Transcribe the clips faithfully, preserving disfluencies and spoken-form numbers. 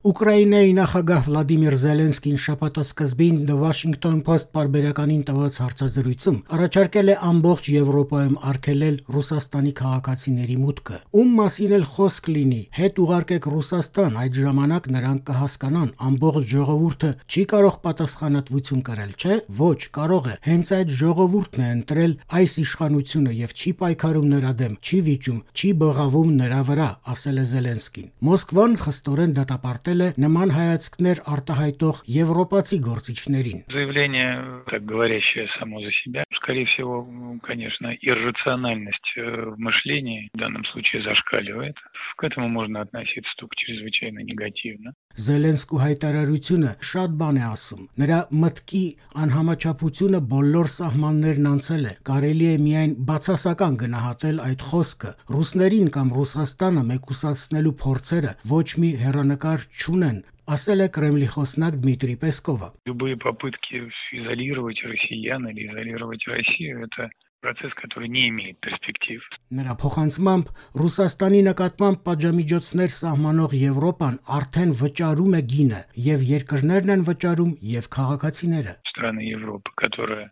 Ուկրաինայի նախագահ Վլադիմիր Զելենսկին շաբաթասկզբին The Washington Post պարբերականին տված հարցազրույցում առաջարկել է ամբողջ Եվրոպայում արգելել Ռուսաստանի քաղաքացիների մուտքը։ Ում մասին էլ խոսք լինի, հետ ուղարկեք Ռուսաստան, այդ ժամանակ նրանք կհասկանան, ամբողջ ժողովուրդը չի կարող պատասխանատվություն կրել, չէ՞։ Ոչ, կարող է։ Հենց այդ ժողովուրդն է ընտրել այս իշխանությունը եւ չի պայքարում նրա դեմ, չի վիճում, չի բղավում նրա վրա, ասել է Զելենսկին։ Մոսկվան խստորեն դատապարտել նման հայացքներ արտահայտող եվրոպացի գործիչներին։ Заявление, так говорящее само за себя, скорее всего, конечно, иррациональность в мышлении в данном случае зашкаливает. К этому можно относиться только чрезвычайно негативно. Զելենսկու հայտարարությունը շատ բան է ասում։ Նրա մտքի անհամաչափությունը բոլոր սահմաններն անցել է։ Կարելի է միայն բացասական գնահատել այդ խոսքը։ Ռուսներին կամ Ռուսաստանը մեկուսացնելու փորձերը ոչ մի հեռանկար չունեն, ասել է Կրեմլի խոսնակ Դմիտրի Պեսկովը։ Любые попытки изолировать россиян или изолировать Россию – это процесс, который не имеет перспектив. Նրա փոխանցմամբ Ռուսաստանի նկատմամբ պատժամիջոցներ սահմանող Եվրոպան արդեն վճարում է գինը, եւ երկրներն են վճարում, եւ քաղաքացիները։ Страны Европы, которые,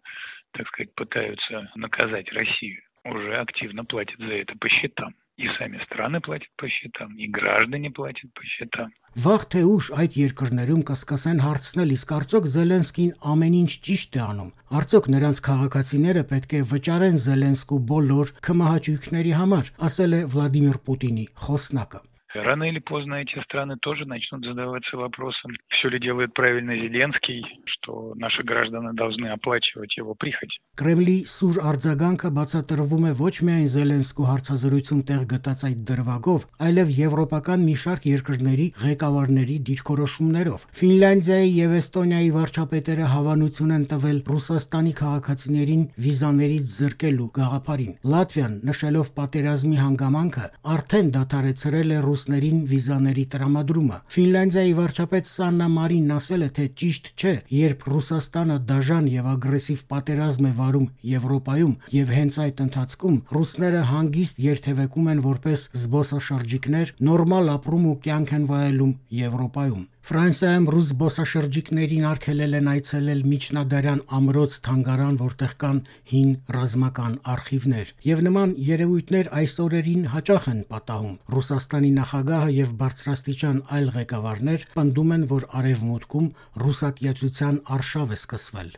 так сказать, пытаются наказать Россию, уже активно платят за это по счетам. И сами страны платят по счетам, и граждане платят по счетам. Վաղ թե ուշ այդ երկրներում կսկսեն հարցնել, իսկ արդյոք Զելենսկին ամեն ինչ ճիշտ է անում։ Արդյոք նրանց քաղաքացիները պետք է վճարեն Զելենսկու բոլոր քմահաճույքների համար, ասել է Վլադիմիր Պուտինի խոսնակը։ Рано или поздно эти страны тоже начнут задаваться вопросом, все ли делает правильно Зеленский, что наши граждане должны оплачивать его прихоть. Կրեմլի սուր արձագանքը բացատրվում է ոչ միայն Զելենսկու հարցազրույցում տեղ գտած այդ դրվագով, այլև եվրոպական մի շարք երկրների ղեկավարների դիրքորոշումներով։ Ֆինլանդիայի եւ Էստոնիայի վարչապետերը հավանություն են տվել Ռուսաստանի քաղաքացիներին վիզաներից զրկելու գաղափարին։ Լատվիան, նշելով պատերազմի հանգամանքը, արդեն դադարեցրել է ռուսներին վիզաների տրամադրումը։ Ֆինլանդիայի վարչապետ Սաննա Մարինն ասել է, թե ճիշտ չէ, երբ Ռուսաստանը դաժան եւ ագրեսիվ պատերազմ է վարում Եվրոպայում եւ հենց այդ ընթացքում ռուսները հանգիստ երթևեկում են որպես զբոսաշրջիկներ, նորմալ ապրում ու կյանք են վայելում Եվրոպայում։ Ֆրանսիայում ռուս զբոսաշրջիկներին արգելել են այցելել միջնադարյան ամրոց թանգարան, որտեղ կան հին ռազմական արխիվներ։ Եվ նման երևույթներ այս օրերին հաճախ են պատահում։ Ռուսաստանի նախագահը եւ բարձրաստիճան այլ ղեկավարներ պնդում են, որ արևմուտքում ռուսակիացության արշավ է սկսվել։